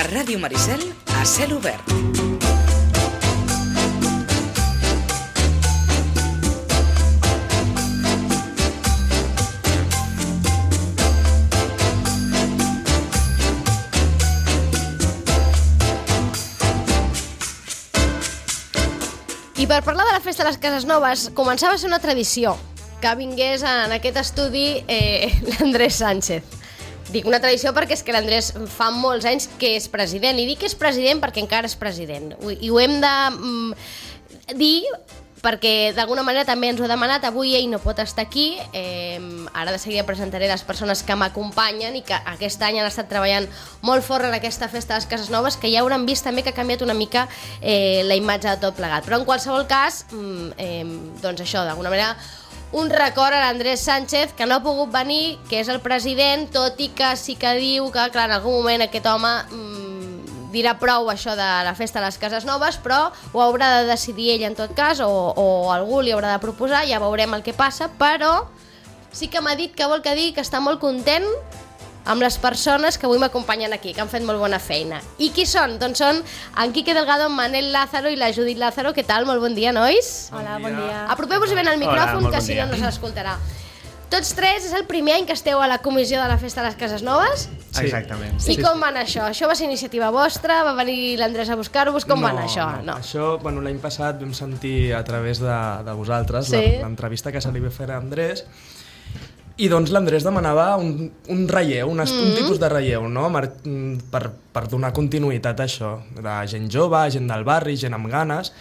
Ràdio Maricel, a cel obert. I per parlar de la Festa de les Cases Noves, començava a ser una tradició que vingués en aquest estudi l'Andrés Sánchez. Dic una tradició perquè és que l'Andrés fa molts anys que és president, i dic que és president perquè encara és president. I ho hem de dir perquè d'alguna manera també ens ho ha demanat. Avui ell no pot estar aquí, ara de seguida presentaré les persones que m'acompanyen i que aquest any han estat treballant molt fort en aquesta Festa de les Cases Noves, que ja hauran vist també que ha canviat una mica la imatge de tot plegat. Però en qualsevol cas, doncs això, d'alguna manera, un record a l'Andrés Sánchez, que no ha pogut venir, que és el president, tot i que sí que diu que, clar, en algun moment aquest home dirà prou això de la Festa de les Cases Noves, però ho haurà de decidir ell en tot cas, o algú li haurà de proposar, ja veurem el que passa, però sí que m'ha dit que vol que digui que està molt content amb les persones que avui m'acompanyen aquí, que han fet molt bona feina. I qui són? Doncs són en Quique Delgado, en Manel Lázaro i la Judit Lázaro. Què tal? Molt bon dia, nois. Hola, bon dia. Apropeu-vos ben al micròfon, que si no, no s'escoltarà. Tots tres, és el primer any que esteu a la comissió de la Festa de les Cases Noves? Sí. Exactament. I com va anar això? Això va ser iniciativa vostra? Va venir l'Andrés a buscar-vos? Com va anar això? No. Això, l'any passat vam sentir a través de vosaltres l'entrevista que se li va fer a Andrés, i doncs l'Andrés demanava un relleu, un tipus de relleu, no? Per donar continuïtat a això, de gent jove, gent del barri, gent amb ganes,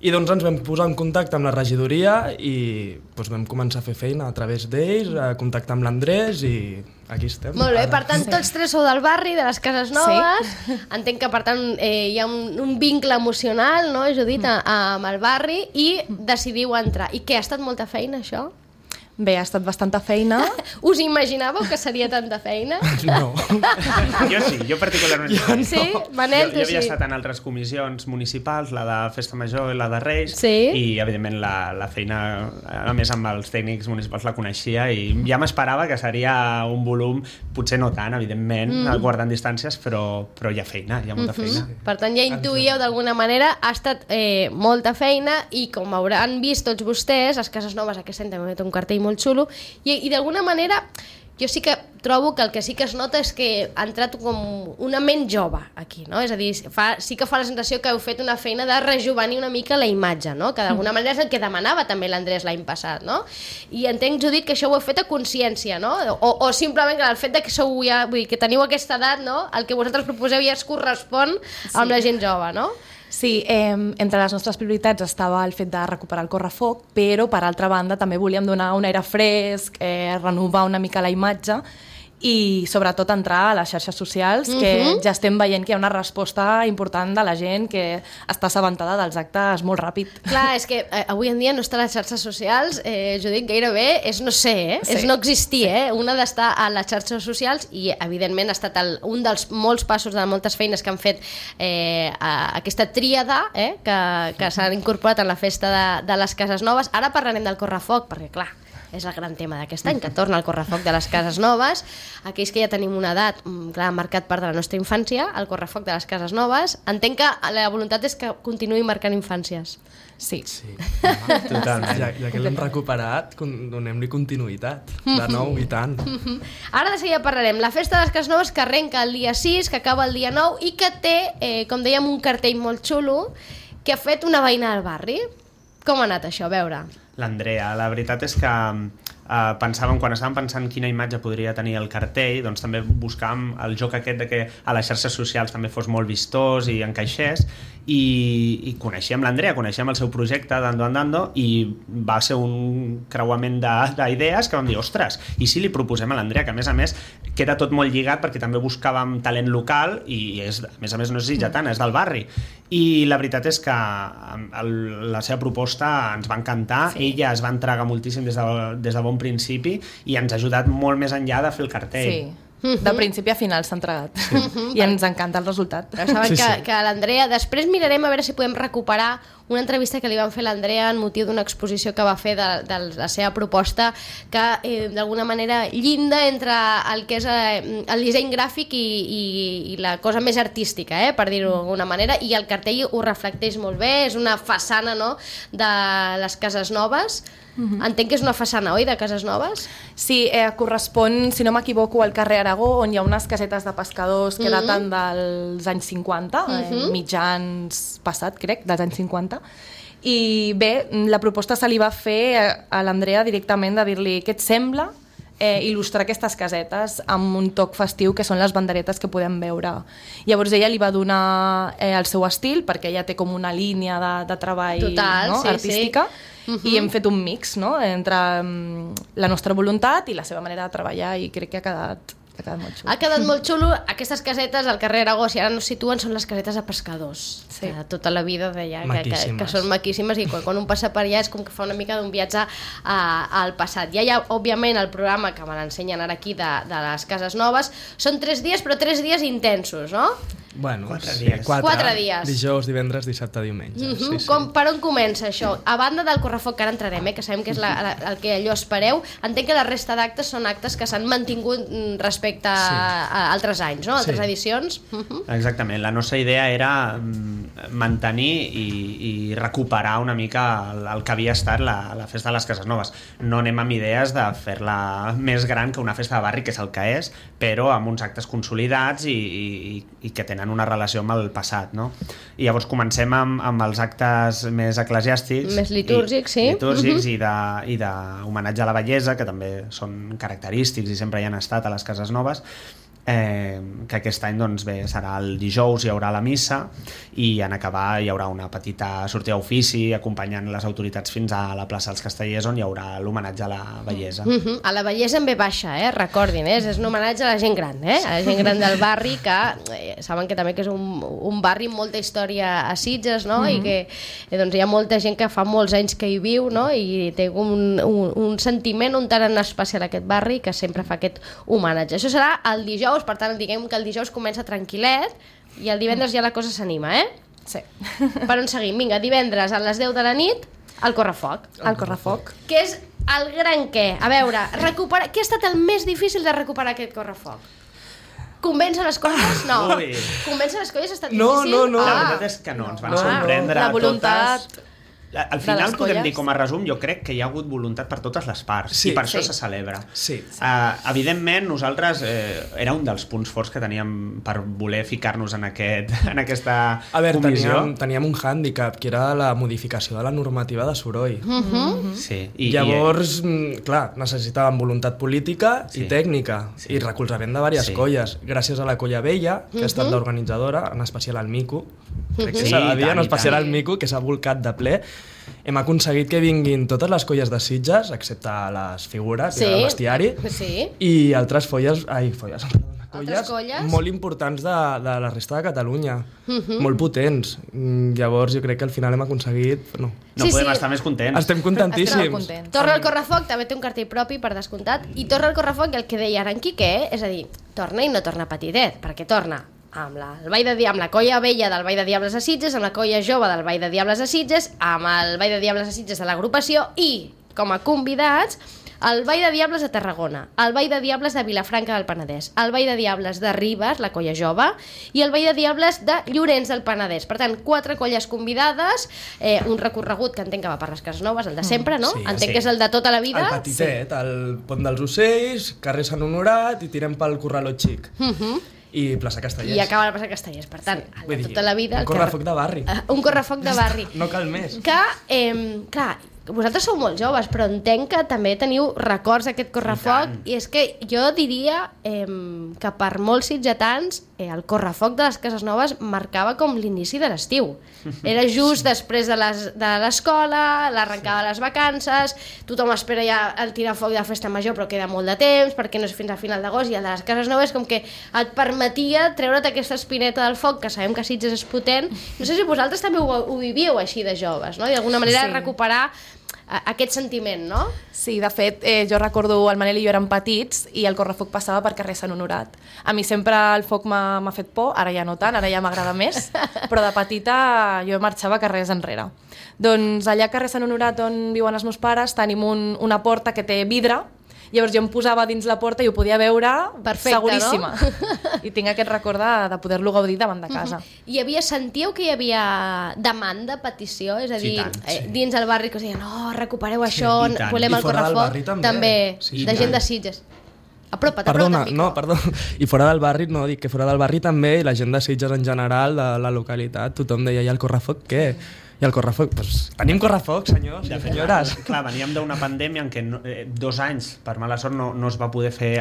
i doncs ens vam posar en contacte amb la regidoria i doncs vam començar a fer feina a través d'ells, a contactar amb l'Andrés i aquí estem. Molt bé, per tant, tots tres sou del barri, de les Cases Noves. Sí. Entenc que, per tant, hi ha un vincle emocional, no, Judit, amb el barri, i decidiu entrar. I què, ha estat molta feina, això? Bé, ha estat bastanta feina. Us imaginàveu que seria tanta feina? No. Jo sí, jo particularment. Sí? Manel, tu sí? Jo havia estat en altres comissions municipals, la de Festa Major i la de Reis, i evidentment la feina, a més amb els tècnics municipals la coneixia, i ja m'esperava que seria un volum, potser no tant, evidentment, guardant distàncies, però hi ha feina, hi ha molta feina. Per tant, ja intuïeu d'alguna manera, ha estat molta feina, i com hauran vist tots vostès, les Cases Noves aquest any també té un cartell molt xulo, i d'alguna manera jo sí que trobo que el que sí que es nota és que ha entrat com una ment jove aquí, no? És a dir, sí que fa la sensació que heu fet una feina de rejovenir una mica la imatge, no? Que d'alguna manera és el que demanava també l'Andrés l'any passat, no? I entenc, Judit, que això ho heu fet a consciència, no? O simplement que el fet de que sou ja, vull dir, que teniu aquesta edat, no? El que vosaltres proposeu ja es correspon amb la gent jove, no? Sí, entre les nostres prioritats estava el fet de recuperar el correfoc, però per altra banda també volíem donar un aire fresc, renovar una mica la imatge i sobretot entrar a les xarxes socials, que ja estem veient que hi ha una resposta important de la gent que està assabentada dels actes molt ràpid. Clar, és que avui en dia no estar a les xarxes socials, Judit, gairebé és no ser, és no existir, una d'estar a les xarxes socials, i evidentment ha estat un dels molts passos de moltes feines que han fet aquesta tríada que s'han incorporat en la Festa de les Cases Noves. Ara parlarem del correfoc, perquè clar, és el gran tema d'aquest any, que torna el correfoc de les Cases Noves. Aquells que ja tenim una edat, clar, marcat part de la nostra infància, el correfoc de les Cases Noves. Entenc que la voluntat és que continuï marcant infàncies. Sí. Totalment. Ja que l'hem recuperat, donem-li continuïtat, de nou i tant. Ara de seguida parlarem. La Festa de les Cases Noves, que arrenca el dia 6, que acaba el dia 9, i que té, com dèiem, un cartell molt xulo, que ha fet una veïna del barri. Com ha anat això? A veure. L'Andrea, la veritat és que quan estàvem pensant quina imatge podria tenir el cartell, doncs també buscàvem el joc aquest de que a les xarxes socials també fos molt vistós i encaixés, i coneixíem l'Andrea, coneixíem el seu projecte d'Ando Andando, i va ser un creuament d'idees que vam dir, ostres, i si li proposem a l'Andrea, que a més queda tot molt lligat perquè també buscàvem talent local i a més no és sitgetana, és del barri, i la veritat és que la seva proposta ens va encantar. Ella es va entregar moltíssim des de bon principi i ens ha ajudat molt més enllà de fer el cartell. Sí. De principi a final s'ha entregat. I ens encanta el resultat. Però saben que l'Andrea... Després mirarem a veure si podem recuperar una entrevista que li van fer a l'Andrea en motiu d'una exposició que va fer de la seva proposta, que d'alguna manera llinda entre el que és el disseny gràfic i la cosa més artística, per dir-ho d'alguna manera, i el cartell ho reflecteix molt bé, és una façana, no?, de les cases noves. Entenc que és una façana, oi, de cases noves? Sí, correspon, si no m'equivoco, al carrer Aragó, on hi ha unes casetes de pescadors que daten dels anys 50, mitjans passat, crec, dels anys 50. I bé, la proposta se li va fer a l'Andrea directament de dir-li què et sembla il·lustrar aquestes casetes amb un toc festiu que són les banderetes que podem veure. Llavors ella li va donar el seu estil, perquè ella té com una línia de treball artística, i hem fet un mix, no?, entre la nostra voluntat i la seva manera de treballar, i crec que ha quedat molt xulo. Ha quedat molt xulo. Aquestes casetes al carrer Aragó, si ara no es situen, són les casetes de pescadors. Sí. Que tota la vida deia que són maquíssimes, i quan un passa per allà és com que fa una mica d'un viatge al passat. Ja hi ha, òbviament, el programa que me l'ensenyen ara aquí de les cases noves. Són 3 dies, però 3 dies intensos, no? Bueno, 4 dies. Dijous, divendres, dissabte, diumenge. Per on comença això? A banda del correfoc, que ara entrarem, que sabem que és el que allò espereu, entenc que la resta d'actes són actes que s'han mantingut respecte a altres anys, no? Altres edicions. Exactament. La nostra idea era mantenir i recuperar una mica el que havia estat la festa de les Cases Noves. No anem amb idees de fer-la més gran que una festa de barri, que és el que és, però amb uns actes consolidats i que tenen una relació amb el passat, no? I llavors comencem amb els actes més eclesiàstics, més litúrgics, i d'homenatge a la bellesa, que també són característics i sempre hi han estat a les Cases Noves, que aquest any, doncs bé, serà el dijous, hi haurà la missa, i en acabar hi haurà una petita sortida d'ofici acompanyant les autoritats fins a la plaça dels Castellers, on hi haurà l'homenatge a la bellesa. A la bellesa en ve baixa, recordin, és un homenatge a la gent gran, a la gent gran del barri, que saben que també que és un barri amb molta història a Sitges, no? I que hi ha molta gent que fa molts anys que hi viu, no? I té un sentiment un tant en especial a aquest barri, que sempre fa aquest homenatge. Això serà el dijous. Per tant, diguem que el dijous comença tranquil·let i el divendres ja la cosa s'anima, Sí. Per on seguim? Vinga, divendres a les 10 de la nit, el correfoc. El correfoc. Que és el gran què? A veure, què ha estat el més difícil de recuperar aquest correfoc? Convèncer les colles? No. Convèncer les colles ha estat difícil? No. La veritat és que no, ens van sorprendre la voluntat totes. Al final podem dir, com a resum, jo crec que hi ha hagut voluntat per totes les parts, i per això se celebra. Evidentment, nosaltres era un dels punts forts que teníem per voler ficar-nos en aquesta comissió. Teníem un hàndicap, que era la modificació de la normativa de soroll. Llavors, clar, necessitàvem voluntat política i tècnica, i recolzament de diverses colles. Gràcies a la Colla Vella, que ha estat l'organitzadora, en especial al Mico, crec que s'ha de dir, en especial al Mico, que s'ha volcat de ple, hem aconseguit que vinguin totes les colles de Sitges, excepte les figures i el bestiari, i altres colles molt importants de la resta de Catalunya, molt potents. Llavors jo crec que al final hem aconseguit... No podem estar més contents. Estem contentíssims. Torna al Correfoc, també té un cartell propi, per descomptat, i torna al Correfoc, i el que deia ara en Quique, és a dir, torna i no torna petitet, perquè torna amb la Colla Vella del Ball de Diables de Sitges, amb la Colla Jove del Ball de Diables de Sitges, amb el Ball de Diables de Sitges de l'agrupació, i, com a convidats, el Ball de Diables de Tarragona, el Ball de Diables de Vilafranca del Penedès, el Ball de Diables de Ribes, la Colla Jove, i el Ball de Diables de Llorenç del Penedès. Per tant, 4 colles convidades, un recorregut que entenc que va per les Cases Noves, el de sempre, no? Entenc que és el de tota la vida. El petitet, el Pont dels Ocells, carrer Sant Honorat, i tirem pel Corraló Xic. I plaça Castellers. I acaba la plaça Castellers, per tant, de tota la vida... Un correfoc de barri. Un correfoc de barri. No cal més. Que, clar, vosaltres sou molt joves, però entenc que també teniu records d'aquest correfoc, i és que jo diria que per molts sitgetans el correfoc de les Cases Noves marcava com l'inici de l'estiu. Era just després de l'escola, l'arrencada de les vacances, tothom espera ja el tirar foc de la festa major, però queda molt de temps, perquè no és fins a final d'agost, i el de les Cases Noves com que et permetia treure't aquesta espineta del foc, que sabem que Sitges és potent. No sé si vosaltres també ho vivíeu així de joves, no? I d'alguna manera recuperar aquest sentiment, no? Sí, de fet, jo recordo el Manel i jo érem petits i el correfoc passava per carrer Sant Honorat. A mi sempre el foc m'ha fet por, ara ja no tant, ara ja m'agrada més, però de petita jo marxava carrers enrere. Doncs allà a carrer Sant Honorat on viuen els meus pares tenim una porta que té vidre. Llavors jo em posava dins la porta i ho podia veure seguríssima. No? I tinc aquest record de poder-lo gaudir davant de casa. Sentíeu que hi havia demanda, petició? És a dir, dins el barri que us deien recupereu això, volem el correfoc. També, de gent de Sitges. Apropa't al micro. No, perdó. I fora del barri, no, dic que fora del barri també, i la gent de Sitges en general, de la localitat, tothom deia, i el correfoc què? I el correfoc, doncs tenim correfoc, senyors i senyores. Clar, veníem d'una pandèmia en què 2 anys, per mala sort, no es va poder fer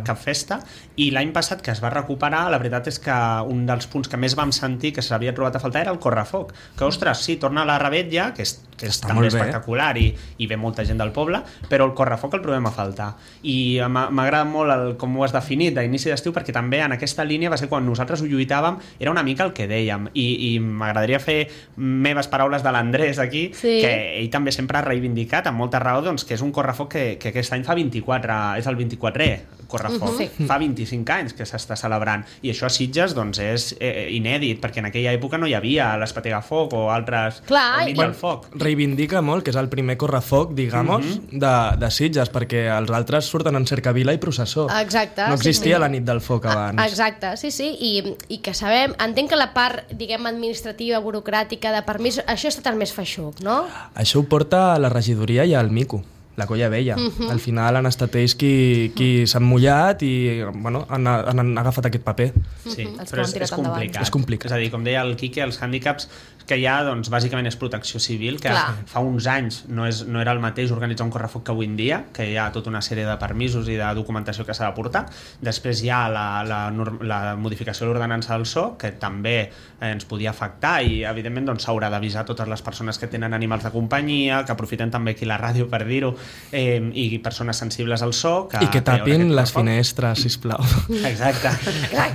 cap festa, i l'any passat que es va recuperar, la veritat és que un dels punts que més vam sentir que s'havia trobat a faltar era el correfoc. Que, ostres, sí, torna a la Revetlla, que és també espectacular i ve molta gent del poble, però el correfoc el trobem a faltar. I m'agrada molt com ho has definit d'inici d'estiu, perquè també en aquesta línia va ser quan nosaltres ho lluitàvem, era una mica el que dèiem, i m'agradaria fer meves paraules de l'Andrés aquí, que ell també sempre ha reivindicat amb molta raó doncs, que és un correfoc que aquest any fa 24, és el 24è correfoc, fa 25 anys que s'està celebrant, i això a Sitges doncs, és inèdit, perquè en aquella època no hi havia l'Espetegafoc o altres del foc. Reivindica molt que és el primer correfoc, de Sitges, perquè els altres surten en cercavila i processó. Exacte. No existia la nit del foc abans. Exacte, sí, i que sabem, entenc que la part, diguem, administrativa, burocràtica, de permís, això ha estat el més feixuc, no? Això ho porta a la regidoria i al Mico, la Colla Vella. Al final han estat ells qui s'han mullat i han agafat aquest paper. Sí, però és complicat. És complicat. És a dir, com deia el Quique, els hàndicaps que hi ha, doncs, bàsicament és protecció civil, que fa uns anys no era el mateix organitzar un correfoc que avui en dia, que hi ha tota una sèrie de permisos i de documentació que s'ha de portar. Després hi ha la modificació de l'ordenança del SO, que també ens podia afectar, i evidentment doncs, s'haurà d'avisar totes les persones que tenen animals de companyia, que aprofiten també aquí la ràdio per dir-ho, i persones sensibles al so. I que tapin les finestres, sisplau. Exacte.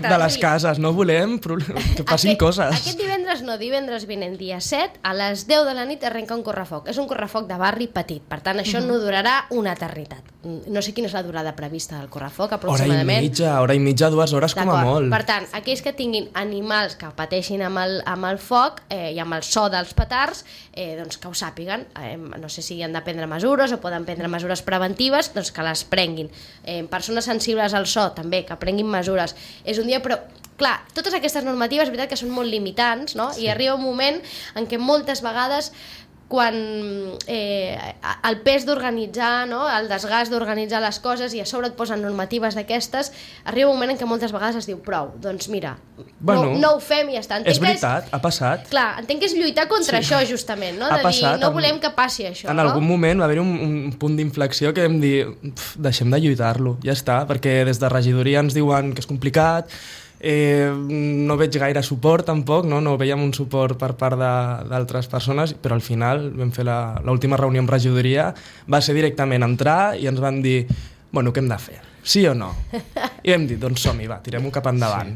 De les cases, no volem que passin coses. Aquest divendres vinent, dia 7, a les 10 de la nit arrenca un correfoc. És un correfoc de barri petit, per tant això no durarà una eternitat. No sé quina és la durada prevista del correfoc, aproximadament. Hora i mitja, 2 hores com a molt. Per tant, aquells que tinguin animals que pateixin amb el foc i amb el so dels petards, doncs que ho sàpiguen. No sé si han de prendre mesures o poden prendre mesures preventives, doncs que les prenguin. Persones sensibles al so, també, que prenguin mesures. És un dia, però clar, totes aquestes normatives, és veritat que són molt limitants, no? I arriba un moment en què moltes vegades quan el pes d'organitzar, no? El desgast d'organitzar les coses i a sobre et posen normatives d'aquestes, arriba un moment en què moltes vegades es diu prou, doncs mira, no ho fem i ja està. És veritat, ha passat. Clar, entenc que és lluitar contra això justament, no? De dir, no volem que passi això. En algun moment va haver un punt d'inflexió que vam dir, deixem de lluitar-lo, ja està, perquè des de regidoria ens diuen que és complicat, no veig gaire suport tampoc, no veiem un suport per part d'altres persones, però al final vam fer l'última reunió amb regidoria, va ser directament entrar i ens van dir, bueno, què hem de fer? Sí o no? I vam dir, doncs som-hi, va, tirem-ho cap endavant.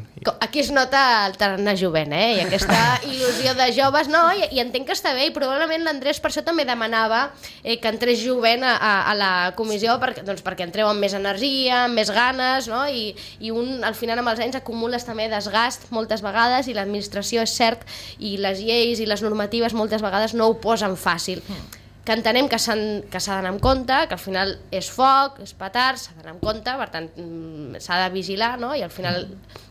Aquí es nota el tarannà jovent, i aquesta il·lusió de joves, no? I entenc que està bé, i probablement l'Andrés per això també demanava que entrés jovent a la comissió, perquè entreu amb més energia, amb més ganes, no? I al final amb els anys acumules també desgast moltes vegades, i l'administració és cert, i les lleis i les normatives moltes vegades no ho posen fàcil. Que entenem que s'ha d'anar amb compte, que al final és foc, és petard, s'ha d'anar amb compte, per tant s'ha de vigilar, no? I al final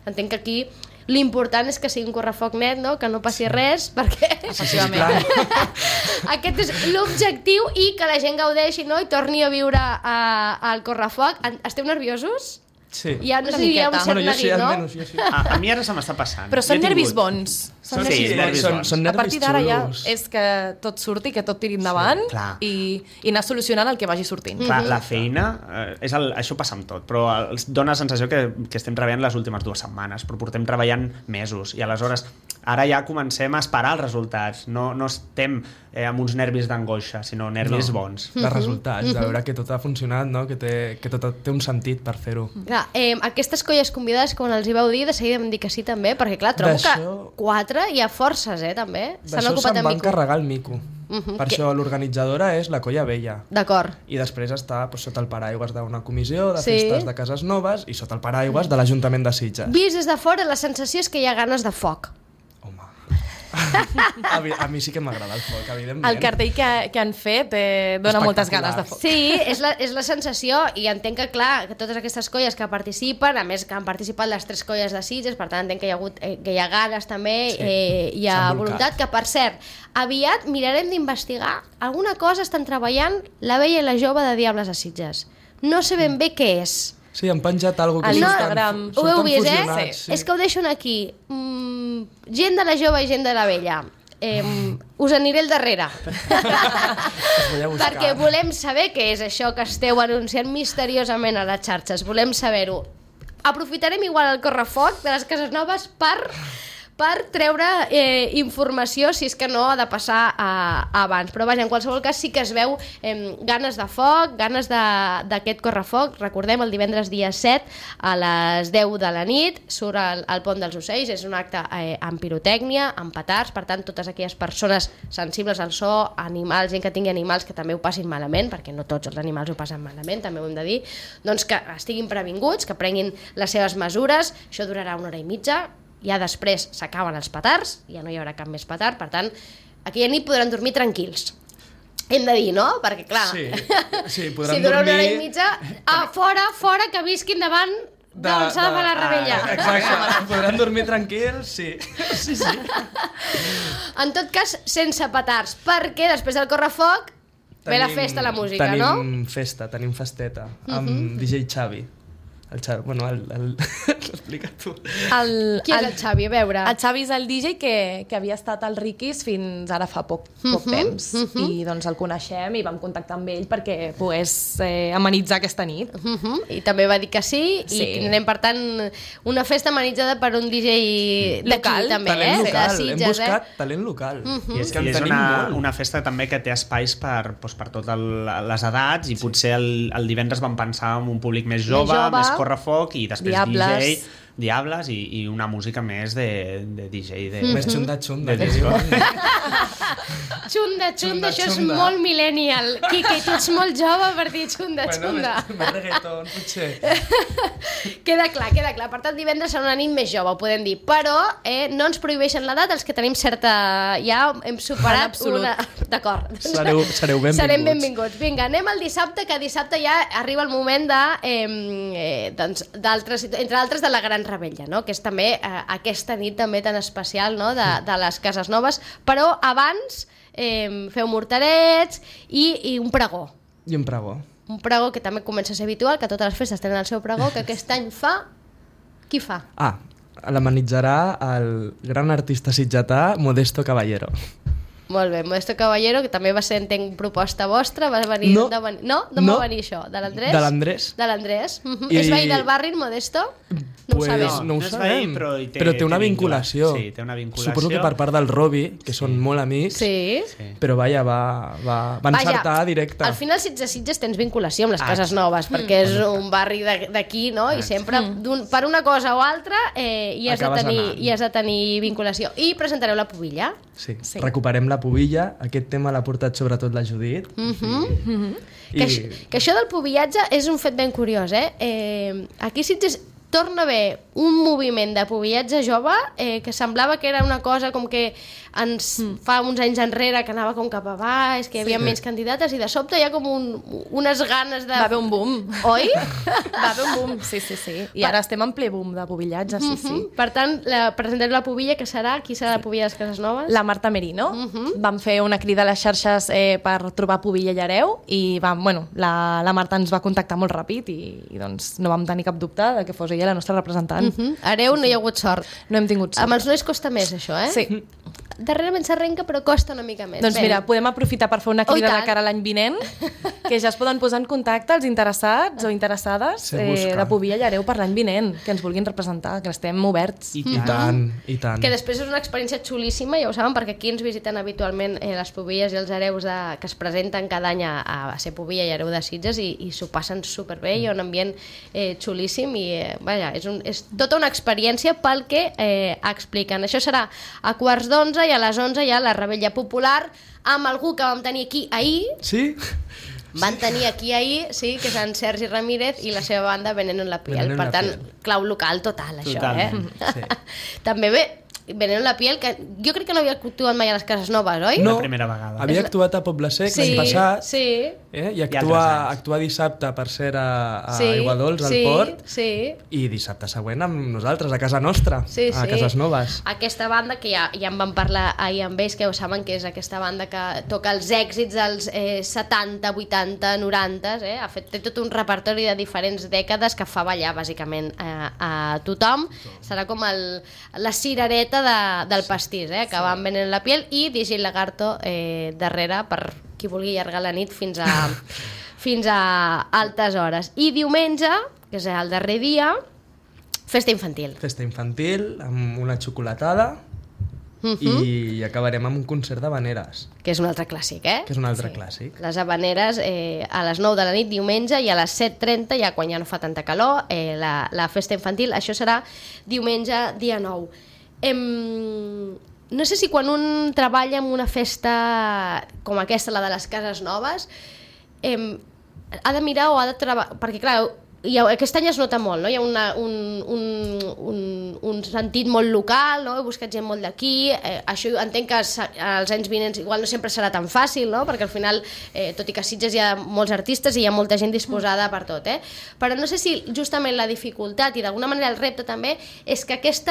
entenc que aquí l'important és que sigui un correfoc net, no? Que no passi res, perquè aquest és l'objectiu, i que la gent gaudeixi, no? I torni a viure al correfoc. Esteu nerviosos? Sí. Ja no sé si hi ha un cert neguit, no? Jo sí. A mi ara se m'està passant. Però són nervis bons. Són nervis bons. A partir d'ara ja és que tot surti, que tot tiri endavant, i anar solucionant el que vagi sortint. Clar, la feina, això passa amb tot, però dona la sensació que estem treballant les últimes 2 setmanes, però portem treballant mesos, i aleshores ara ja comencem a esperar els resultats. No estem amb uns nervis d'angoixa, sinó nervis bons. De resultats, de veure que tot ha funcionat, no? Que tot té un sentit per fer-ho. Aquestes colles convidades, quan els hi vau dir, de seguida vam dir que sí també, perquè clar, trobo que 4 hi ha forces, també. D'això se'n va encarregar el Mico. Per això l'organitzadora és la Colla Vella. D'acord. I després està sota el paraigües d'una comissió de festes de cases noves i sota el paraigües de l'Ajuntament de Sitges. Vist des de fora, la sensació és que hi ha ganes de foc. Home... a mi sí que m'agrada el foc, evidentment. El cartell que han fet dona moltes ganes de foc. Sí, és la sensació, i entenc que, clar, que totes aquestes colles que participen, a més que han participat les 3 colles de Sitges, per tant entenc que hi ha ganes també, hi ha voluntat, que per cert, aviat mirarem d'investigar alguna cosa estan treballant la vella i la jove de Diables a Sitges. No sé ben bé què és. Sí, han penjat alguna cosa a l'Instagram. Ho heu vist, fusionats, És que ho deixo aquí. Gent de la jove i gent de la vella. Us aniré al darrere. Perquè volem saber què és això que esteu anunciant misteriosament a les xarxes. Volem saber-ho. Aprofitarem igual el correfoc de les cases noves per treure informació, si és que no ha de passar abans. Però vaja, en qualsevol cas sí que es veu ganes de foc, ganes d'aquest correfoc. Recordem, el divendres dia 7 a les 10 de la nit surt al Pont dels Ocells, és un acte amb pirotècnia, amb petards, per tant totes aquelles persones sensibles al so, animals, gent que tingui animals que també ho passin malament, perquè no tots els animals ho passen malament, també ho hem de dir, doncs que estiguin previnguts, que prenguin les seves mesures. Això durarà 1 hora i mitja, ja després s'acaben els petards, ja no hi haurà cap més petard, per tant, aquella nit podran dormir tranquils. Hem de dir, no? Perquè, clar, sí, podran si dura 1 dormir... hora i mitja, fora, que visquin davant d'on s'ha de fer la rebella. Exacte, podran dormir tranquils, sí. En tot cas, sense petards, perquè després del correfoc ve la festa, la música, no? Tenim festa, tenim festeta, amb DJ Xavi. El Xavi, bueno, explica tu. Qui és el Xavi? A veure. El Xavi és el DJ que havia estat al Riquis fins ara fa poc temps. I doncs el coneixem i vam contactar amb ell perquè pogués amenitzar aquesta nit. I també va dir que sí, i tindrem, per tant, una festa amenitzada per un DJ local, també, talent local. Sitges, hem buscat talent local. I és que és una festa també que té espais per totes les edats, i potser el divendres vam pensar en un públic més jove, més correfoc, i després Diables. Diables i una música més de DJ. Més xunda-xunda. Xunda, això és molt millennial. Quique, tu ets molt jove per dir xunda. Més reggaeton, potser. Queda clar. Per tant, divendres serà una nit més jove, ho podem dir. Però no ens prohibeixen l'edat, els que tenim certa... Ja hem superat una... D'acord. Sereu benvinguts. Serem benvinguts. Vinga, anem al dissabte, que dissabte ja arriba el moment entre altres, de la Gran Rebella, no? Que és també aquesta nit també tan especial, no? de les cases noves, però abans feu morterets i un pregó. I un pregó. Un pregó que també comença a ser habitual, que totes les festes tenen el seu pregó, que aquest any fa... Qui fa? L'amenitzarà el gran artista sitgetà Modesto Caballero. Molt bé, Modesto Caballero, que també va ser, entenc, proposta vostra, va venir... No. Va venir això? De l'Andrés? De l'Andrés. És veí del barri, Modesto? No ho sabem. No ho sabem, però té una vinculació. Sí, té una vinculació. Suposo que per part del Robi, que són molt amics, però vaja, va encertar directe. Al final, Sitges tens vinculació amb les cases noves, perquè és un barri d'aquí, no? I sempre, per una cosa o altra, hi has de tenir vinculació. I presentareu la pubilla. Sí, recuperem la pubilla. Aquest tema l'ha portat sobretot la Judit. Que això del pubillatge és un fet ben curiós, Aquí Sitges torna a haver un moviment de pubillatge jove que semblava que era una cosa com que fa uns anys enrere que anava com cap a baix, que hi havia menys candidates, i de sobte hi ha com unes ganes de... Va haver un boom. Oi? Va haver un boom, sí. I ara estem en ple boom de pubillatge, sí. Per tant, presentem la pubilla, que serà? Qui serà la pubilla de les cases noves? La Marta Merino. Vam fer una crida a les xarxes per trobar pubilla i hereu, i la Marta ens va contactar molt ràpid i doncs no vam tenir cap dubte de que fos ella la nostra representant. Hereu no hi ha hagut sort. No hem tingut sort. Amb els nois costa més, això, Sí. Darrerament s'arrenca, però costa una mica més. Doncs mira, podem aprofitar per fer una crida de cara a l'any vinent, que ja es poden posar en contacte els interessats o interessades de pubilla i hereu per l'any vinent, que ens vulguin representar, que estem oberts. I tant. Que després és una experiència xulíssima, ja ho saben, perquè aquí ens visiten habitualment les pubilles i els hereus que es presenten cada any a ser pubilla i hereu de Sitges, i s'ho passen superbé, hi ha un ambient xulíssim, i vaja, és tota una experiència pel que expliquen. Això serà a 11:15 11 i a les 11 hi ha la Rebella Popular amb algú que vam tenir aquí ahir. Sí? Van tenir aquí ahir, sí, que és en Sergi Ramírez i la seva banda Veneno en la Piel. Veneno en Per la tant, Piel. clau local total, això, Totalment, sí. També bé, Veneno en la Piel, que jo crec que no havia actuat mai a les Cases Noves, oi? No, La primera vegada. havia actuat a Poble Sec l'any passat, sí, i altres anys. actuar dissabte per ser a sí, Aiguadols, al sí, Port, sí. i dissabte següent amb nosaltres, a casa nostra, Sí, a sí. Cases Noves. Aquesta banda, que ja en vam parlar ahir amb ells, que ho saben que és aquesta banda que toca els èxits dels 70, 80, 90, té tot un repertori de diferents dècades que fa ballar bàsicament a tothom. Serà com la cirereta del pastís, que va amb Veneno en la Piel, i DJ Lagarto darrere per qui vulgui allargar la nit fins a altes hores. I diumenge, que és el darrer dia, festa infantil. Festa infantil, amb una xocolatada, i acabarem amb un concert d'habaneres, Que és un altre clàssic, que és un altre clàssic. Les habaneres a les 9 de la nit diumenge, i a les 7:30, ja quan ja no fa tanta calor, la festa infantil. Això serà diumenge, dia 9. No sé si quan un treballa en una festa com aquesta, la de les Cases Noves, ha de mirar o ha de treballar... Perquè, clar, aquest any es nota molt, no? Hi ha un sentit molt local, no? He buscat gent molt d'aquí, això entenc que als anys vinents igual no sempre serà tan fàcil, no? Perquè al final, tot i que a Sitges hi ha molts artistes i hi ha molta gent disposada per tot, però no sé si justament la dificultat i d'alguna manera el repte també és que aquest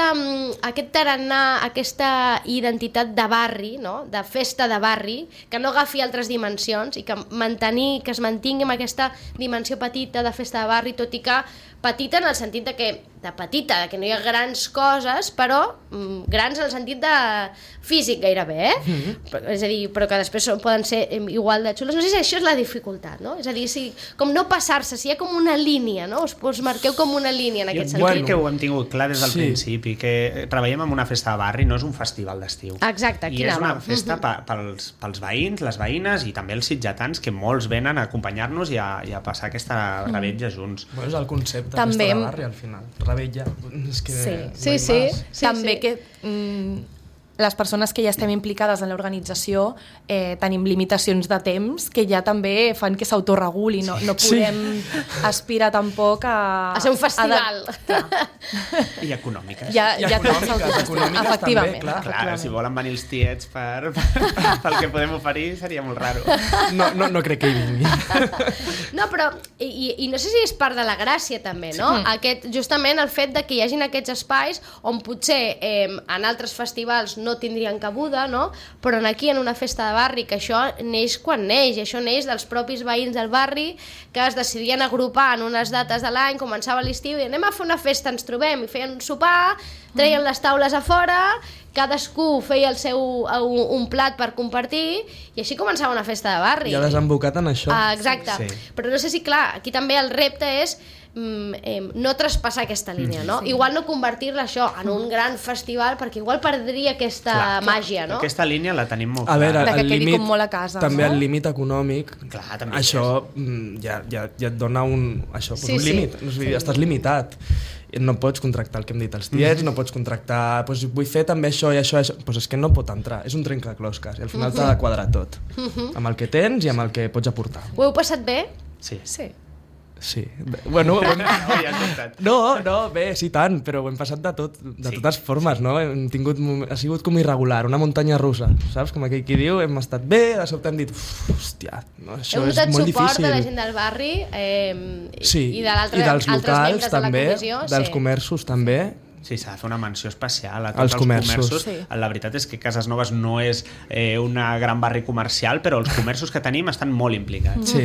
tarannà, aquesta identitat de barri, no? De festa de barri, que no agafi altres dimensions i que es mantingui amb aquesta dimensió petita de festa de barri, tot i que petita en el sentit de que no hi ha grans coses, però grans en el sentit de físic gairebé, és a dir, però que després poden ser igual de xules. No sé si això és la dificultat, no? És a dir, com no passar-se, si hi ha com una línia, no? Us marqueu com una línia en aquest sentit. Jo crec que ho hem tingut clar des del principi, que treballem en una festa de barri, no és un festival d'estiu. Exacte, I és una festa pels veïns, les veïnes i també els sitgetans, que molts venen a acompanyar-nos i a passar aquesta rebetlla junts. Bueno, és el concepte També festa de barri, al final. Rebetlla. És que Sí. També que les persones que ja estem implicades en l'organització tenim limitacions de temps que ja també fan que s'autoreguli, no podem aspirar tampoc a ser un festival. I econòmiques. Ja econòmiques també, efectivament. Clar, si volen venir els tiets pel que podem oferir seria molt raro. No crec que hi vingui. No, però, i no sé si és part de la gràcia també, no? Justament el fet de que hi hagin aquests espais on potser en altres festivals no tindrien cabuda, no? Però aquí en una festa de barri, que això neix quan neix, i això neix dels propis veïns del barri que es decidien agrupar en unes dates de l'any, començava l'estiu i anem a fer una festa, ens trobem, i feien un sopar, treien les taules a fora, cadascú feia un plat per compartir, i així començava una festa de barri. I ha desembocat en això. Exacte. Sí. Però no sé si, clar, aquí també el repte és no traspassar aquesta línia, no? Igual no convertir-la això en un gran festival, perquè igual perdria aquesta màgia, no? Aquesta línia la tenim molt A veure, De que el quedi límit, com molt a casa, també no? el límit econòmic, Clar, també això ja et dona un límit, és a dir, estàs limitat. No pots contractar el que hem dit els tiets, no pots contractar, vull fer també això i això, és que no pot entrar, és un trencaclosques i al final t'ha de quadrar tot, amb el que tens i amb el que pots aportar. Ho heu passat bé? Sí. Sí, bueno, No, bé, sí tant, però ho hem passat de totes formes, no? Ha sigut com irregular, una muntanya russa, saps? Com aquell qui diu, hem estat bé, de sobte hem dit, hòstia, no, això és molt difícil. Heu notat suport de la gent del barri i dels locals també, dels comerços també. Sí, s'ha de fer una menció especial a tots Els els comerços. comerços. La veritat és que Cases Noves no és un gran barri comercial, però els comerços que tenim estan molt implicats. Sí.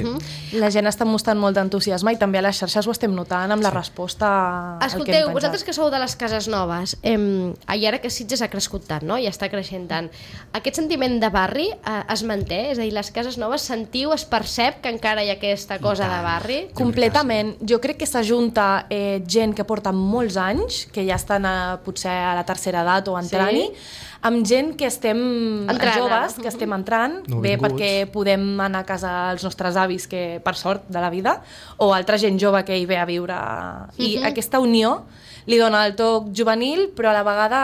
La gent està mostrant molt d'entusiasme i també a les xarxes ho estem notant amb la resposta al que hem Escolteu, penjat. vosaltres que sou de les Cases Noves, i ara que Sitges ha crescut tant, no? I està creixent tant, aquest sentiment de barri es manté? És a dir, les Cases Noves sentiu, es percep que encara hi ha aquesta cosa de barri? Completament. Jo crec que s'ajunta gent que porta molts anys, que ja estan potser a la tercera edat o entrant-hi, amb gent que estem Entrant, joves, ara. que estem entrant, bé Nouvinguts. perquè podem anar a casa als nostres avis, que per sort de la vida, o altra gent jove que hi ve a viure. I aquesta unió li dona el toc juvenil, però a la vegada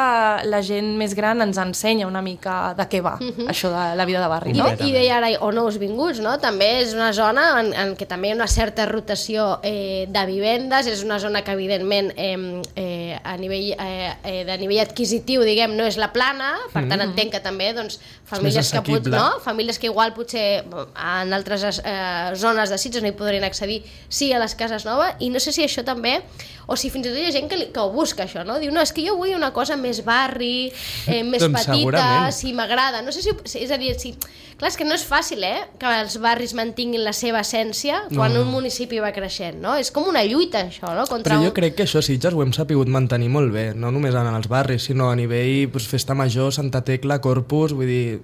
la gent més gran ens ensenya una mica de què va, això de la vida de barri, no? I deia ara, o nous vinguts, no? També és una zona en què també hi ha una certa rotació de vivendes, és una zona que evidentment a nivell de nivell adquisitiu, diguem, no és la plana, per tant entenc que també doncs, famílies famílies que igual potser en altres zones de Sitges no hi podrien accedir sí a les cases noves, i no sé si això també, o si fins i tot hi ha gent que ho busca això, no? Diu, no, és que jo vull una cosa més barri, més Doncs petita, segurament. si m'agrada. No sé si... És a dir, clar, és que no és fàcil, que els barris mantinguin la seva essència quan un municipi va creixent, no? És com una lluita, això, no? Però jo crec que això Sitges ho hem sapigut mantenir molt bé, no només en els barris, sinó a nivell Festa Major, Santa Tecla, Corpus, vull dir,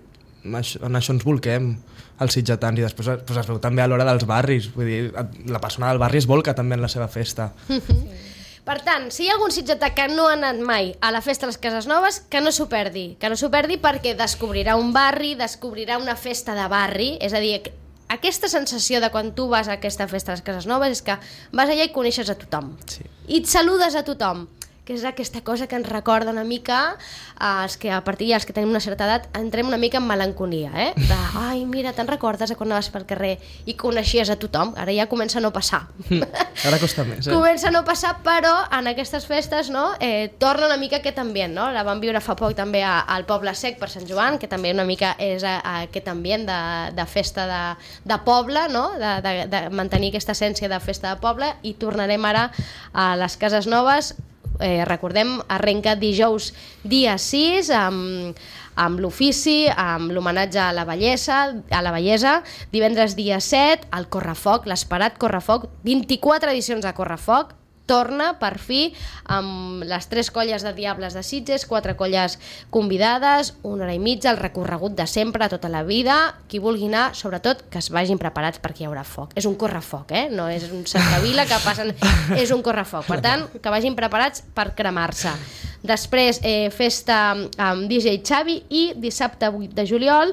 en això ens volquem els sitgetans, i després es veu també a l'hora dels barris, vull dir, la persona del barri es volca també en la seva festa. Per tant, si hi ha algun sitgetà que no ha anat mai a la festa de les Cases Noves, que no s'ho perdi perquè descobrirà un barri, descobrirà una festa de barri, és a dir, aquesta sensació de quan tu vas a aquesta festa de les Cases Noves és que vas allà i coneixes a tothom, i et saludes a tothom, que és aquesta cosa que ens recorda una mica els que a partir dels que tenim una certa edat entrem una mica en melancolia, de, ai, mira, te'n recordes quan anaves pel carrer i coneixies a tothom? Ara ja comença a no passar. Ara costa més, Comença a no passar, però en aquestes festes torna una mica aquest ambient, no? La vam viure fa poc també al Poble Sec per Sant Joan, que també una mica és aquest ambient de festa de poble, no? De mantenir aquesta essència de festa de poble, i tornarem ara a les Cases Noves. Recordem, arrenca dijous dia 6 amb l'ofici, amb l'homenatge a la bellesa, divendres dia 7 el Correfoc, l'esperat Correfoc, 24 edicions de Correfoc, torna per fi amb les 3 colles de Diables de Sitges, 4 colles convidades, 1 hora i mitja, el recorregut de sempre, tota la vida. Qui vulgui anar, sobretot, que es vagin preparats perquè hi haurà foc. És un correfoc, no és un cercavila que passen... És un correfoc, per tant, que vagin preparats per cremar-se. Després, festa amb DJ Xavi, i dissabte 8 de juliol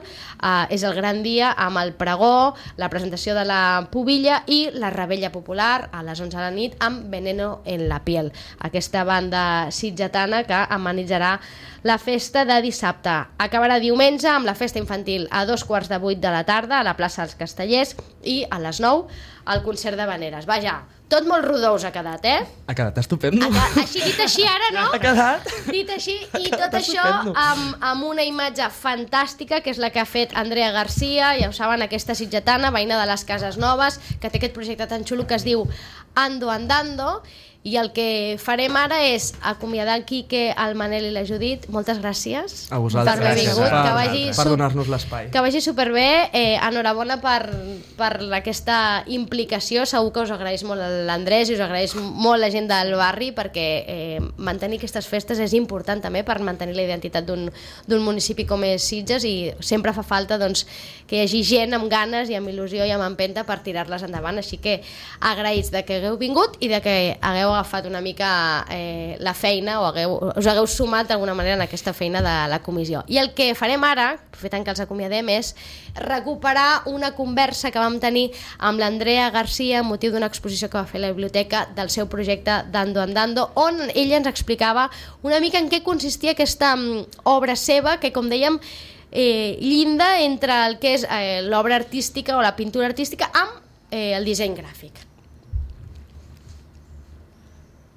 és el gran dia amb el pregó, la presentació de la pubilla i la rebella popular a les 11 de la nit amb Veneno en la piel, aquesta banda sitgetana que amenitzarà la festa de dissabte. Acabarà diumenge amb la festa infantil a 7:15 de la tarda a la plaça dels Castellers, i a les 9 el concert de Veneres. Vaja, tot molt rodós ha quedat, Ha quedat estupendo. Així, dit així ara, no? Ha quedat. Dit així, i tot això amb una imatge fantàstica, que és la que ha fet Andrea Garcia, ja ho saben, aquesta sitgetana, veïna de les Cases Noves, que té aquest projecte tan xulo que es diu Ando Andando, i el que farem ara és acomiadar el Quique, el Manel i la Judit. Moltes gràcies a vosaltres, per haver vingut, per donar-nos l'espai. Que vagi superbé, enhorabona per aquesta implicació. Segur que us agraeix molt l'Andrés i us agraeix molt la gent del barri, perquè mantenir aquestes festes és important també per mantenir la identitat d'un municipi com és Sitges, i sempre fa falta que hi hagi gent amb ganes i amb il·lusió i amb empenta per tirar-les endavant. Així que agraïts de que hagueu vingut i de que hagueu agafat una mica la feina, o us hagueu sumat d'alguna manera en aquesta feina de la comissió. I el que farem ara, aprofitant que els acomiadem, és recuperar una conversa que vam tenir amb l'Andrea Garcia amb motiu d'una exposició que va fer a la biblioteca del seu projecte Dando Andando, on ella ens explicava una mica en què consistia aquesta obra seva, que, com dèiem, llinda entre el que és l'obra artística o la pintura artística amb el disseny gràfic.